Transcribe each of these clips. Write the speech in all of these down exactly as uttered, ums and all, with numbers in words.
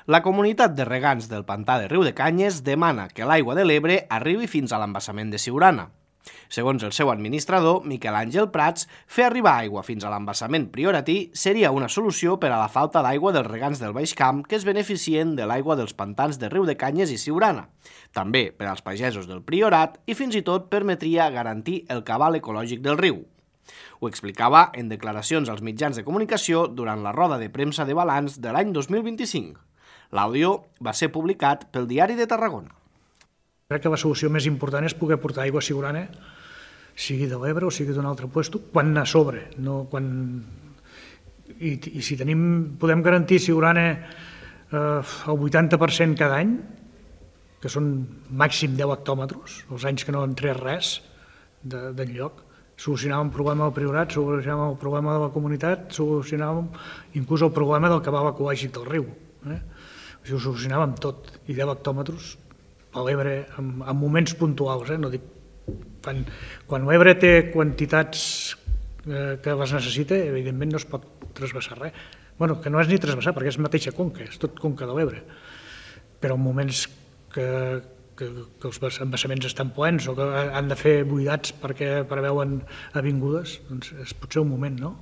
La comunitat de regants del pantà de Riudecanyes demana que l'aigua de l'Ebre arribi fins a l'embassament de Siurana. Segons el seu administrador, Miquel Àngel Prats, fer arribar aigua fins a l'embassament prioratí seria una solució per a la falta d'aigua dels regants del Baix Camp que es beneficien de l'aigua dels pantans de Riudecanyes i Siurana, també per als pagesos del Priorat i fins i tot permetria garantir el cabal ecològic del riu. Ho explicava en declaracions als mitjans de comunicació durant la roda de premsa de balanç de l'any dos mil vint-i-cinc. L'àudio va ser publicat pel Diari de Tarragona. Crec que la solució més important és poder portar aigua a Siurana, sigui de l'Ebre o sigui d'un altre lloc, quan a sobre. No quan... I, I si tenim, podem garantir a Siurana eh, el vuitanta per cent cada any, que són màxim deu hectòmetres, els anys que no han tret res d'enlloc, solucionàvem el problema del Priorat, solucionàvem el problema de la comunitat, solucionàvem inclús el problema del cabal ecològic del riu. Eh? Ho solucionàvem tot, i deu hectòmetres a l'Ebre en, en moments puntuals, eh? No dic, quan, quan l'Ebre té quantitats eh, que les necessita, evidentment no es pot trasbassar res. Bueno, que no és ni trasbassar, perquè és mateixa conca, és tot conca de l'Ebre. Però en moments que, que, que els embassaments estan plens o que han de fer buidats perquè preveuen avingudes, doncs és potser un moment, no?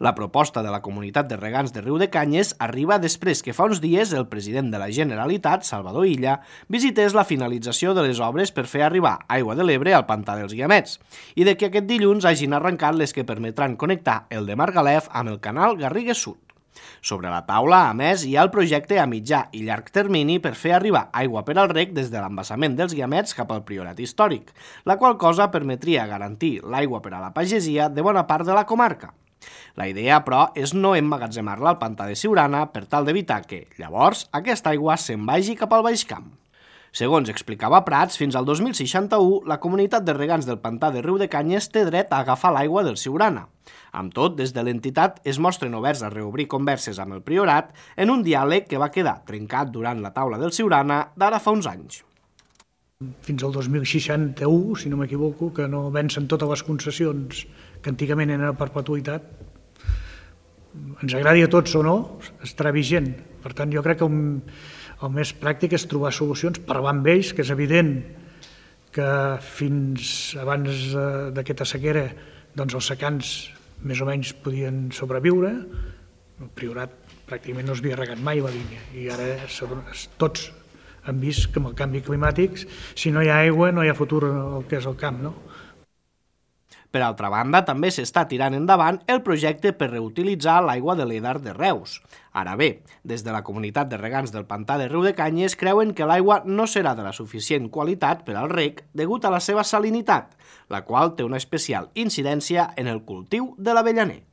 La proposta de la comunitat de regants de Riudecanyes arriba després que fa uns dies el president de la Generalitat, Salvador Illa, visités la finalització de les obres per fer arribar aigua de l'Ebre al pantà dels Guiamets i de que aquest dilluns hagin arrencat les que permetran connectar el de Margalef amb el canal Garrigues Sud. Sobre la taula, a més, hi ha el projecte a mitjà i llarg termini per fer arribar aigua per al reg des de l'embassament dels Guiamets cap al Priorat històric, la qual cosa permetria garantir l'aigua per a la pagesia de bona part de la comarca. La idea, però, és no emmagatzemar-la al pantà de Siurana per tal d'evitar que, llavors, aquesta aigua se'n vagi cap al Baix Camp. Segons explicava Prats, fins al dos mil seixanta-u, la comunitat de regants del pantà de Riudecanyes té dret a agafar l'aigua del Siurana. Amb tot, des de l'entitat es mostren oberts a reobrir converses amb el Priorat en un diàleg que va quedar trencat durant la taula del Siurana d'ara fa uns anys. Fins al dos mil seixanta-u, si no m'equivoco, que no vencen totes les concessions que antigament eren a perpetuïtat, ens agradi a tots o no, estarà vigent. Per tant, jo crec que el, el més pràctic és trobar solucions, parlar amb ells, que és evident que fins abans d'aquesta sequera doncs els secans més o menys podien sobreviure, el Priorat pràcticament no es havia regat mai la línia i ara tots han vist que amb el canvi climàtic, si no hi ha aigua no hi ha futur el que és el camp, no? Per altra banda, també s'està tirant endavant el projecte per reutilitzar l'aigua de l'Edar de Reus. Ara bé, des de la comunitat de regants del pantà de Riudecanyes creuen que l'aigua no serà de la suficient qualitat per al reg degut a la seva salinitat, la qual té una especial incidència en el cultiu de l'avellaner.